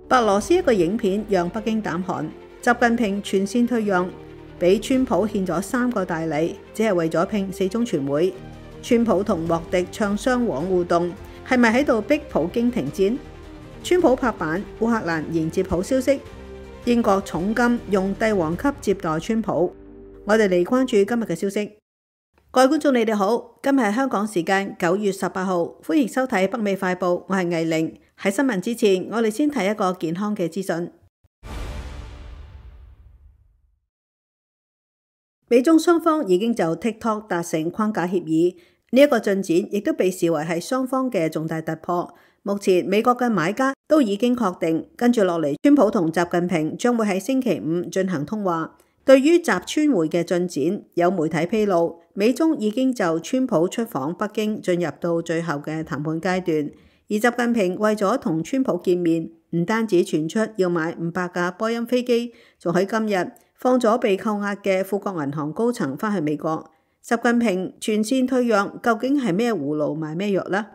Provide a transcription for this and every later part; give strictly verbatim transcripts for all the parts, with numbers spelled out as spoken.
白羅斯一個影片讓北京膽寒，習近平全線退讓，俾川普獻咗三個大禮，只係為咗拼四中全會。川普同莫迪唱雙簧互動，係咪喺度逼普京停戰？川普拍板，烏克蘭迎接好消息，英國重金用帝王級接待川普。我哋嚟關注今日嘅消息。各位觀眾，你哋好，今日係香港時間九月十八號，歡迎收睇北美快報，我係藝玲。喺新聞之前，我哋先睇一個健康嘅資訊。美中雙方已經就 TikTok 達成框架協議，呢一個進展亦都被視為係雙方嘅重大突破。目前美國嘅買家都已經確定，跟住落嚟，川普同習近平將會喺星期五進行通話。對於習川會嘅進展，有媒體披露，美中已經就川普出訪北京進入到最後嘅談判階段。而習近平為咗同川普見面，唔單止傳出要買五百架波音飛機，仲喺今日放咗被扣押嘅富國銀行高層返去美國。習近平全線退讓，究竟係咩葫蘆賣咩藥呢？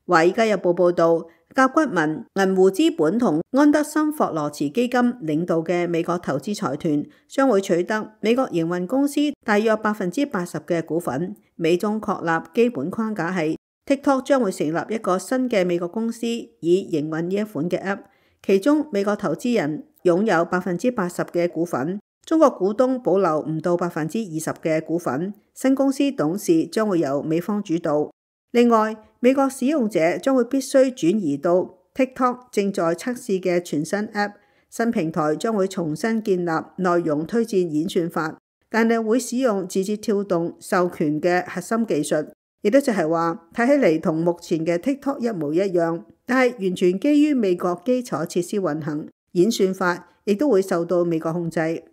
華爾街日報報導，甲骨文、銀湖資本同安德森霍羅茨基金領導嘅美國投資財團將會取得美國營運公司大約百分之八十嘅股份。美中確立基本框架係 TikTok 將會成立一個新嘅美國公司，以營運呢一款嘅 App。其中美國投資人擁有百分之八十嘅股份，中國股東保留唔到百分之二十嘅股份。新公司董事將會由美方主導。另外，美國使用者將會必須轉移到 TikTok 正在測試嘅全新 App。新平台將會重新建立內容推薦演算法，但係會使用字節跳動授權嘅核心技術，亦都就係話睇起嚟同目前嘅 TikTok 一模一樣，但係完全基於美國基礎設施運行，演算法亦都會受到美國控制。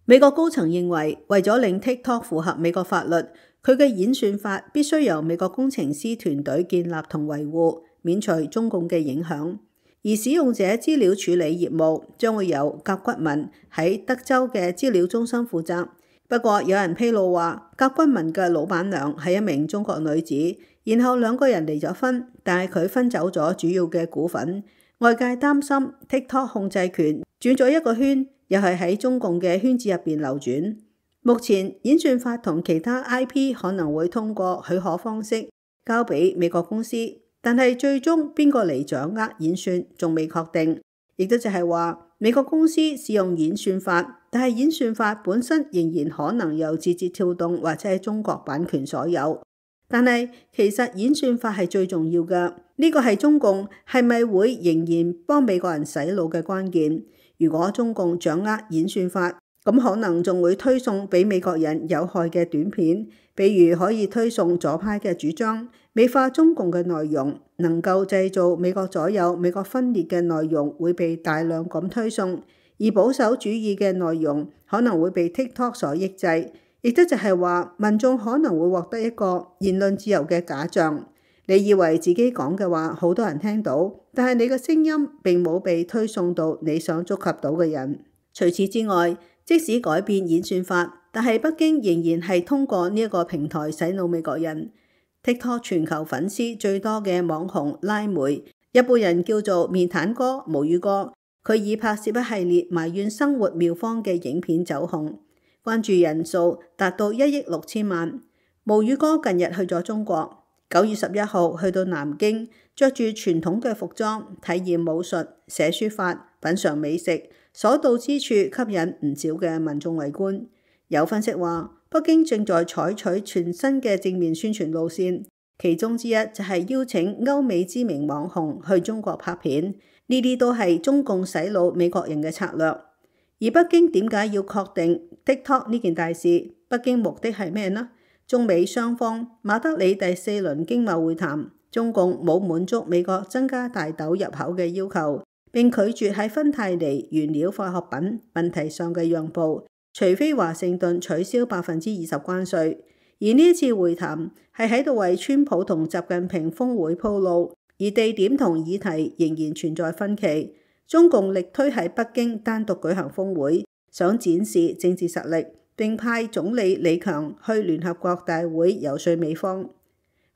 美國高層認為，為咗令 TikTok 符合美國法律，佢嘅演算法必須由美國工程師團隊建立同維護，免除中共嘅影響。而使用者資料處理業務將會由甲骨文喺德州嘅資料中心負責。不過有人披露話，甲骨文嘅老闆娘係一名中國女子，然後兩個人離咗婚，但係佢分走咗主要嘅股份。外界擔心 TikTok 控制權轉咗一個圈，又係喺中共嘅圈子入邊流轉。目前演算法同其他 I P 可能會通過許可方式交俾美國公司，但係最終邊個嚟掌握演算仲未確定。亦都就係話，美國公司使用演算法，但係演算法本身仍然可能由字節跳動或者係中國版權所有。但係其實演算法係最重要嘅，呢個係中共係咪會仍然幫美國人洗腦嘅關鍵。如果中共掌握演算法，咁可能仲會推送俾美國人有害嘅短片，比如可以推送左派嘅主張，美化中共嘅內容，能夠製造美國左右、美國分裂嘅內容會被大量咁推送，而保守主義嘅內容可能會被 TikTok 所抑制，亦都就係話民眾可能會獲得一個言論自由嘅假象。你以為自己講嘅話好多人聽到，但係你嘅聲音並冇被推送到你想觸及到嘅人。除此之外，即使改變演算法，但係北京仍然係通過呢一個平台洗腦美國人。TikTok 全球粉絲最多嘅網紅拉梅，一般人叫做面癱哥、無語哥，佢以拍攝一系列埋怨生活妙方嘅影片走紅，關注人數達到一億六千萬。無語哥近日去咗中國，九月十一號去到南京，着住傳統嘅服裝，體驗武術、寫書法、品嘗美食。所到之處吸引唔少嘅民眾圍觀。有分析話，北京正在採取全新嘅正面宣傳路線，其中之一就係邀請歐美知名網紅去中國拍片，呢啲都係中共洗腦美國人嘅策略。而北京點解要確定 TikTok 呢件大事？北京目的係咩呢？中美雙方馬德里第四輪經貿會談，中共冇滿足美國增加大豆入口嘅要求，並拒絕喺芬太尼原料化學品問題上嘅讓步，除非華盛頓取消百分之二十關稅。而呢一次會談係喺度為川普同習近平峰會鋪路，而地點同議題仍然存在分歧。中共力推喺北京單獨舉行峰會，想展示政治實力，並派總理李強去聯合國大會遊說美方。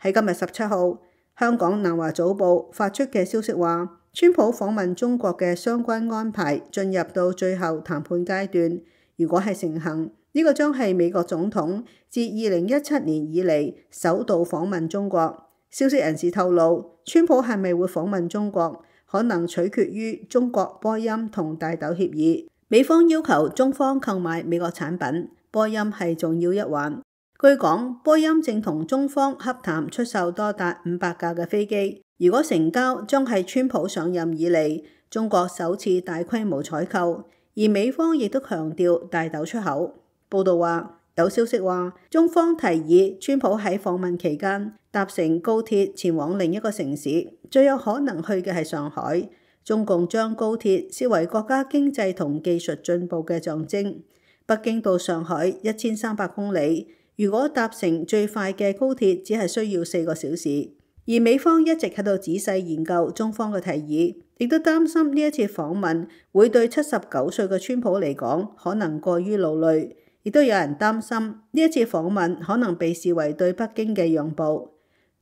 喺今日十七號，香港南華早報發出嘅消息話，川普訪問中國嘅相關安排進入到最後談判階段。如果係成行，呢個將係美國總統自二零一七年以嚟首度訪問中國。消息人士透露，川普係咪會訪問中國，可能取決於中國波音同大豆協議。美方要求中方購買美國產品，波音係重要一環。據講，波音正同中方洽談出售多達五百架嘅飛機。如果成交，將係川普上任以嚟中國首次大規模採購，而美方亦都強調大豆出口。報道話，有消息話，中方提議川普喺訪問期間搭乘高鐵前往另一個城市，最有可能去嘅係上海。中共將高鐵視為國家經濟同技術進步嘅象徵。北京到上海一千三百公里，如果搭乘最快嘅高鐵，只係需要四個小時。而美方一直喺度仔細研究中方嘅提議，亦都擔心呢一次訪問會對七十九歲嘅川普嚟講可能過於勞累，亦都有人擔心呢一次訪問可能被視為對北京嘅讓步。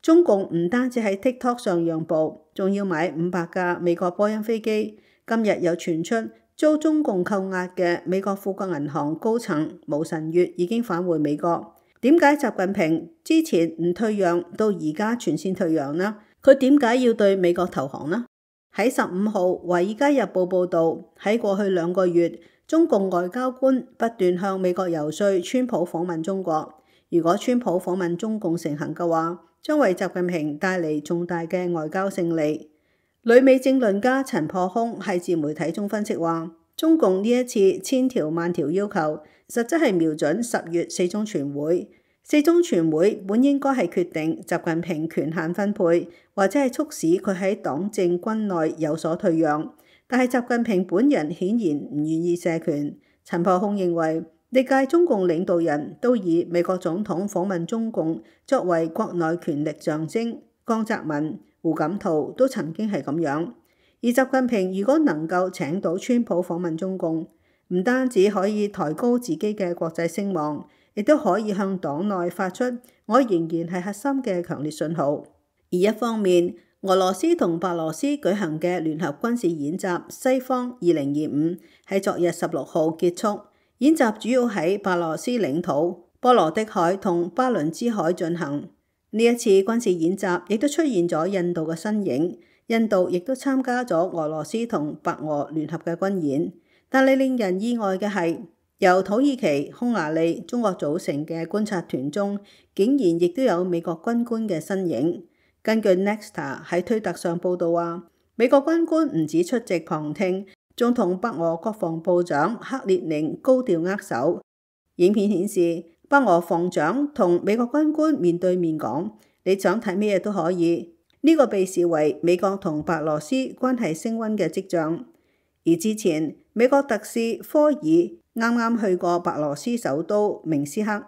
中共唔單止喺 TikTok 上讓步，仲要買五百架美國波音飛機。今日又傳出遭中共扣押嘅美國富國銀行高層毛臣月已經返回美國。點解習近平之前唔退讓，到而家全線退讓呢？佢點解要對美國投降呢？喺十五號《華爾街日報》報導，喺過去兩個月，中共外交官不斷向美國遊說川普訪問中國。如果川普訪問中共成行嘅話，將為習近平帶嚟重大嘅外交勝利。旅美政論家陳破空喺自媒體中分析話，中共呢一次千條萬條要求，實質係瞄準十月四中全會。四中全會本應該係決定習近平權限分配，或者係促使佢喺黨政軍內有所退讓。但係習近平本人顯然唔願意卸權。陳破空認為，歷屆中共領導人都以美國總統訪問中共作為國內權力象徵。江澤民、胡錦濤都曾經係咁樣。而習近平如果能夠請到川普訪問中共，唔單止可以抬高自己嘅國際聲望，亦都可以向黨內發出我仍然係核心嘅強烈信號。而一方面，俄羅斯同白羅斯舉行嘅聯合軍事演習西方二零二五喺昨日十六號結束。演習主要喺白羅斯領土、波羅的海同巴倫支海進行。呢一次軍事演習亦都出現咗印度嘅身影，印度亦都參加咗俄羅斯同白俄聯合嘅軍演。但係令人意外嘅係，由土耳其、匈牙利、中國組成嘅觀察團中，竟然亦都有美國軍官嘅身影。根據 Nexta 喺推特上報道話，美國軍官唔止出席旁聽，仲同北俄國防部長克列寧高調握手。影片顯示，北俄防長同美國軍官面對面講：你想睇咩嘢都可以。呢、這個被視為美國同白羅斯關係升溫嘅跡象。而之前，美國特使科爾啱啱去過白羅斯首都明斯克。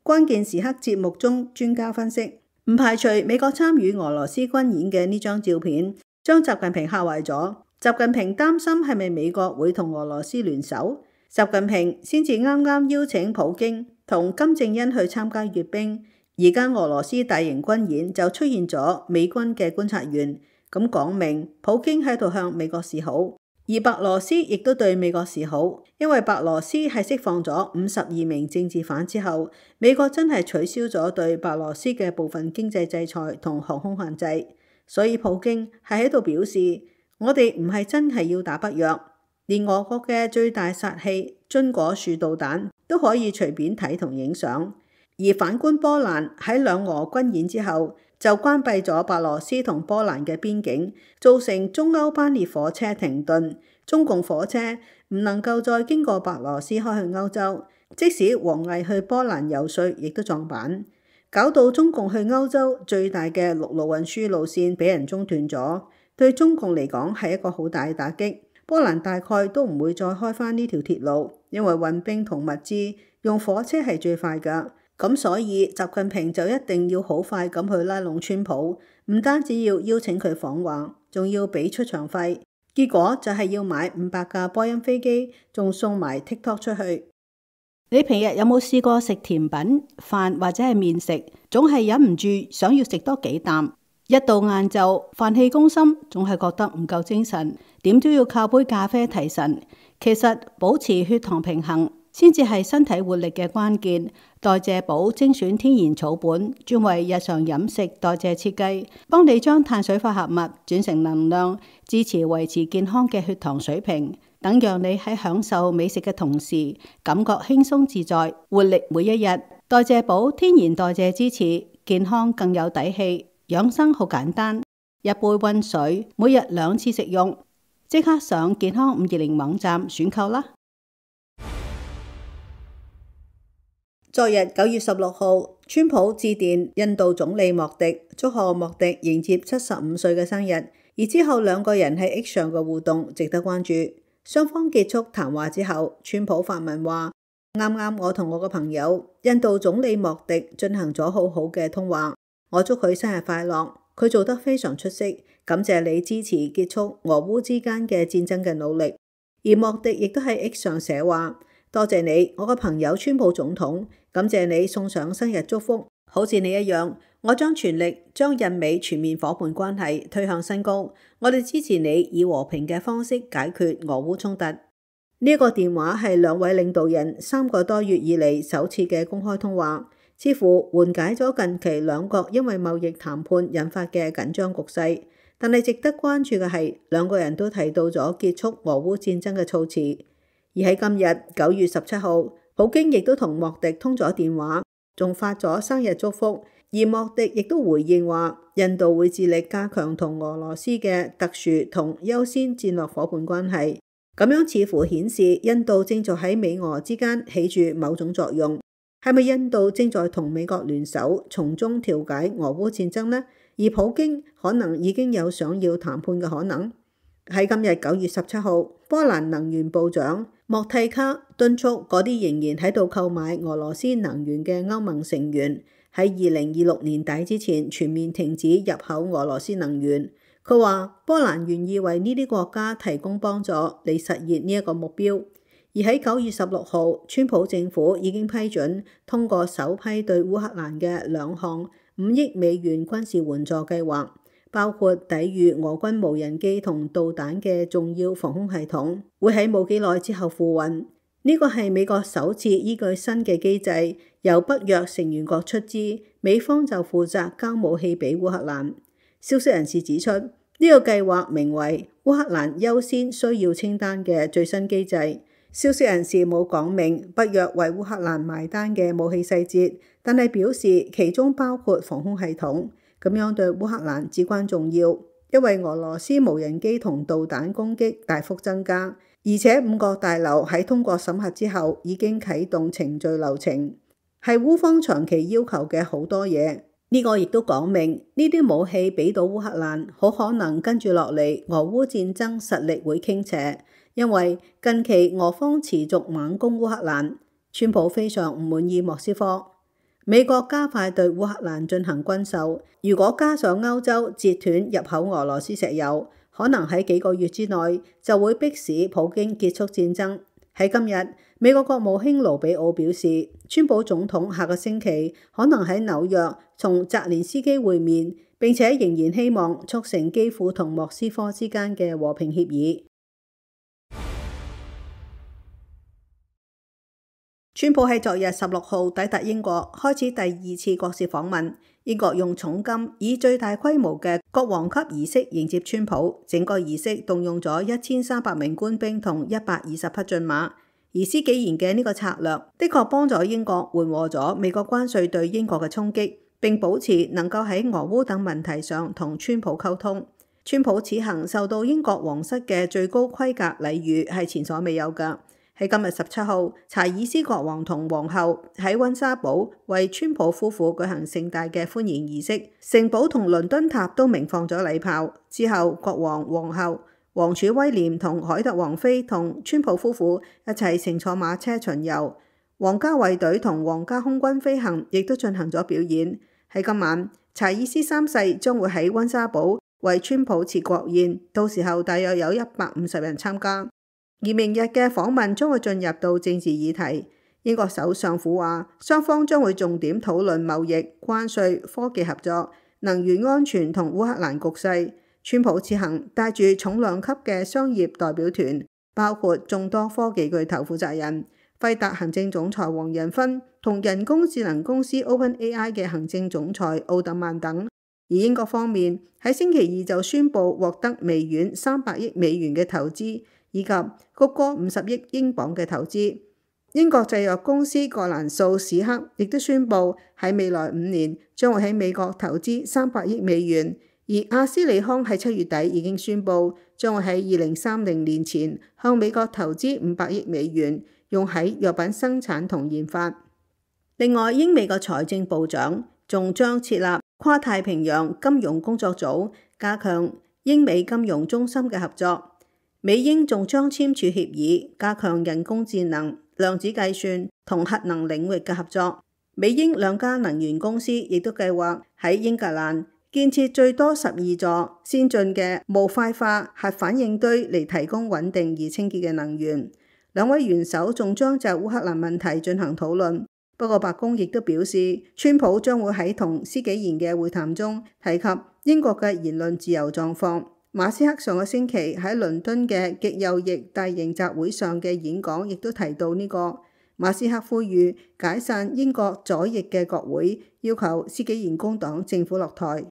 關鍵時刻節目中，專家分析，唔排除美國參與俄羅斯軍演嘅呢張照片將習近平嚇壞咗。習近平擔心係咪美國會同俄羅斯聯手？習近平先至啱啱邀請普京同金正恩去參加閱兵，而家俄羅斯大型軍演就出現咗美軍嘅觀察員，咁講明普京喺度向美國示好，而白羅斯亦都對美國示好，因為白羅斯係釋放咗五十二名政治犯之後，美國真係取消咗對白羅斯嘅部分經濟制裁同航空限制，所以普京係喺度表示，我哋唔係真係要打北約，連俄國嘅最大殺器榛果樹導彈都可以隨便睇同影相。而反觀波蘭喺兩俄軍演之後，就關閉咗白羅斯同波蘭嘅邊境，造成中歐班列火車停頓，中共火車唔能夠再經過白羅斯開去歐洲，即使王毅去波蘭遊說，亦都撞板，搞到中共去歐洲最大嘅陸路運輸路線俾人中斷咗。對中共嚟講係一個好大嘅打擊，波蘭大概都唔會再開返呢條鐵路，因為運兵同物資用火車係最快㗎。咁所以習近平就一定要好快咁去拉攏川普，唔單止要邀請佢訪華，仲要俾出場費。結果就係要買五百架波音飛機，仲送埋 TikTok 出去。你平日有冇試過食甜品、飯或者係麵食，總係忍唔住想要食多幾啖？一到晏晝，飯氣攻心，總係覺得唔夠精神，點都要靠杯咖啡提神。其實保持血糖平衡先至係身體活力嘅關鍵。代謝寶精選天然草本，專為日常飲食代謝設計，幫你將碳水化合物轉成能量，支持維持健康嘅血糖水平，等讓你喺享受美食嘅同時，感覺輕鬆自在，活力每一日。代謝寶天然代謝支持，健康更有底氣。養生好簡單，一杯溫水，每日兩次食用，即刻上健康五二零網站選購啦！昨日九月十六號，川普致電印度總理莫迪，祝賀莫迪迎接七十五歲嘅生日。而之後兩個人喺 X 上嘅互動值得關注。雙方結束談話之後，川普發文話：啱啱我同我個朋友印度總理莫迪進行咗好好嘅通話。我祝佢生日快樂，佢做得非常出色，感謝你支持結束俄烏之間嘅戰爭嘅努力。而莫迪亦都喺 X 上寫話：多謝你，我個朋友川普總統，感謝你送上生日祝福。好似你一樣，我將全力將印美全面伙伴關係推向新高。我哋支持你以和平嘅方式解決俄烏衝突。呢一個電話係兩位領導人三個多月以嚟首次嘅公開通話。似乎緩解咗近期兩國因為貿易談判引發嘅緊張局勢，但係值得關注嘅係兩個人都提到咗結束俄烏戰爭嘅措辭。而喺今日九月十七號，普京亦都同莫迪通咗電話，仲發咗生日祝福。而莫迪亦都回應話，印度會致力加強同俄羅斯嘅特殊同優先戰略伙伴關係。咁樣似乎顯示印度正在喺美俄之間起住某種作用。係咪印度正在同美國聯手從中調解俄烏戰爭呢？而普京可能已經有想要談判嘅可能。喺今日九月十七號，波蘭能源部長莫蒂卡敦促嗰啲仍然喺度購買俄羅斯能源嘅歐盟成員喺二零二六年底之前全面停止入口俄羅斯能源。佢話波蘭願意為呢啲國家提供幫助嚟實現呢一個目標。而喺九月十六號，川普政府已經批准通過首批對烏克蘭嘅兩項五億美元軍事援助計劃，包括抵禦俄軍無人機同導彈嘅重要防空系統，會喺冇幾耐之後付運。呢個係美國首次依據新嘅機制，由北約成員國出資，美方就負責交武器俾烏克蘭。消息人士指出，呢個計劃名為烏克蘭優先需要清單嘅最新機制。消息人士冇講明北約為烏克蘭埋單嘅武器細節，但係表示其中包括防空系統，咁樣對烏克蘭至關重要，因為俄羅斯無人機同導彈攻擊大幅增加，而且五角大樓喺通過審核之後已經啟動程序流程，係烏方長期要求嘅好多嘢。呢個亦都講明呢啲武器俾到烏克蘭，好可能跟住落嚟俄烏戰爭實力會傾斜。因為近期俄方持續猛攻烏克蘭，川普非常唔滿意莫斯科。美國加快對烏克蘭進行軍售，如果加上歐洲截斷入口俄羅斯石油，可能喺幾個月之內就會迫使普京結束戰爭。喺今日，美國國務卿盧比奧表示，川普總統下個星期可能喺紐約同澤連斯基會面，並且仍然希望促成基輔同莫斯科之間嘅和平協議。川普喺昨日十六號抵達英國，開始第二次國事訪問。英國用重金以最大規模嘅國王級儀式迎接川普，整個儀式動用咗一千三百名官兵同一百二十匹駿馬。而施紀賢嘅呢個策略，的確幫咗英國緩和咗美國關稅對英國嘅衝擊，並保持能夠喺俄烏等問題上同川普溝通。川普此行受到英國皇室嘅最高規格禮遇，係前所未有㗎。喺今日十七號，查爾斯國王同皇后喺溫莎堡為川普夫婦舉行盛大嘅歡迎儀式，城堡同倫敦塔都鳴放咗禮炮。之後，國王、皇后、王儲威廉同凱特王妃同川普夫婦一齊乘坐馬車巡遊，皇家衛隊同皇家空軍飛行亦都進行咗表演。喺今晚，查爾斯三世將會喺溫莎堡為川普設國宴，到時候大約有一百五十人參加。而明日嘅訪問將會進入到政治議題。英國首相府話，雙方將會重點討論貿易、關稅、科技合作，能源安全同烏克蘭局勢。川普此行帶住重量級嘅商業代表團，包括眾多科技巨頭負責人、輝達行政總裁黃仁勳同人工智能公司 OpenAI 嘅行政總裁奧特曼等。而英國方面喺星期二就宣布獲得微軟三百億美元嘅投資，以及谷歌五十億英鎊嘅投資。英國製藥公司葛蘭素史克亦都宣布喺未來五年將會喺美國投資三百億美元，而阿斯利康喺七月底已經宣布將會喺二零三零年前向美國投資五百億美元，用喺藥品生產同研發。另外，英美嘅財政部長仲將設立跨太平洋金融工作組，加強英美金融中心嘅合作。美英仲將簽署協議，加強人工智能、量子計算同核能領域嘅合作。美英兩家能源公司亦都計劃喺英格蘭建設最多十二座先進嘅模塊化核反應堆嚟提供穩定而清潔嘅能源。兩位元首仲將就烏克蘭問題進行討論。不過白宮亦都表示，川普將會喺同施紀賢嘅會談中提及英國嘅言論自由狀況。馬斯克上個星期喺倫敦嘅極右翼大型集會上嘅演講亦都提到呢個。馬斯克呼籲解散英國左翼嘅國會，要求施紀賢工黨政府落台。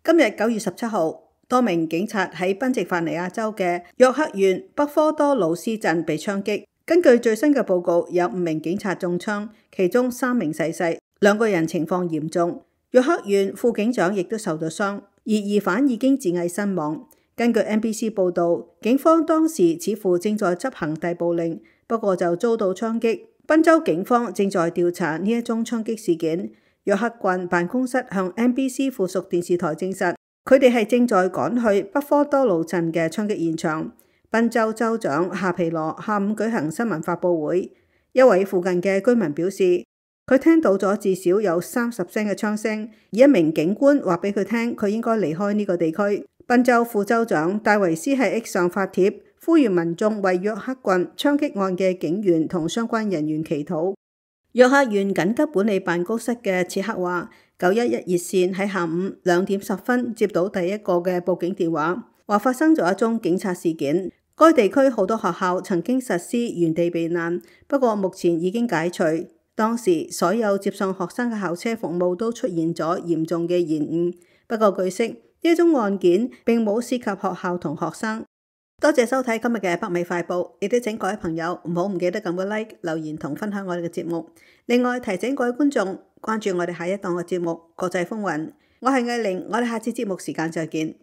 今日九月十七號，多名警察喺賓夕法尼亞州嘅約克縣北科多魯斯鎮被槍擊。根據最新嘅報告，有五名警察中槍，其中三名逝世，兩個人情況嚴重。約克縣副警長亦都受到傷，而疑犯已經自縊身亡。根據 N B C 報導，警方當時似乎正在執行逮捕令，不過就遭到槍擊。賓州警方正在調查呢一宗槍擊事件。約克郡辦公室向 N B C 附屬電視台證實，佢哋係正在趕去北科多魯鎮嘅槍擊現場。賓州州長夏皮羅下午舉行新聞發佈會，一位附近嘅居民表示，佢聽到咗至少有三十聲嘅槍聲，而一名警官話俾佢聽，佢應該離開呢個地區。賓州副州長戴維斯喺 X 上發帖，呼籲民眾為約克郡槍擊案嘅警員同相關人員祈禱。約克縣緊急管理辦公室嘅切克話，九一一熱線喺下午兩點十分接到第一個嘅報警電話，話發生咗一宗警察事件。該地區好多學校曾經實施原地避難，不過目前已經解除。當時所有接送學生嘅校車服務都出現咗嚴重嘅延誤。不過據悉，呢宗案件並冇涉及學校同學生。多謝收睇今日嘅北美快報，亦都請各位朋友唔好唔記得撳個 like、留言同分享我哋嘅節目。另外提醒各位觀眾關注我哋下一檔嘅節目《國際風雲》。我係藝玲，我哋下次節目時間再見。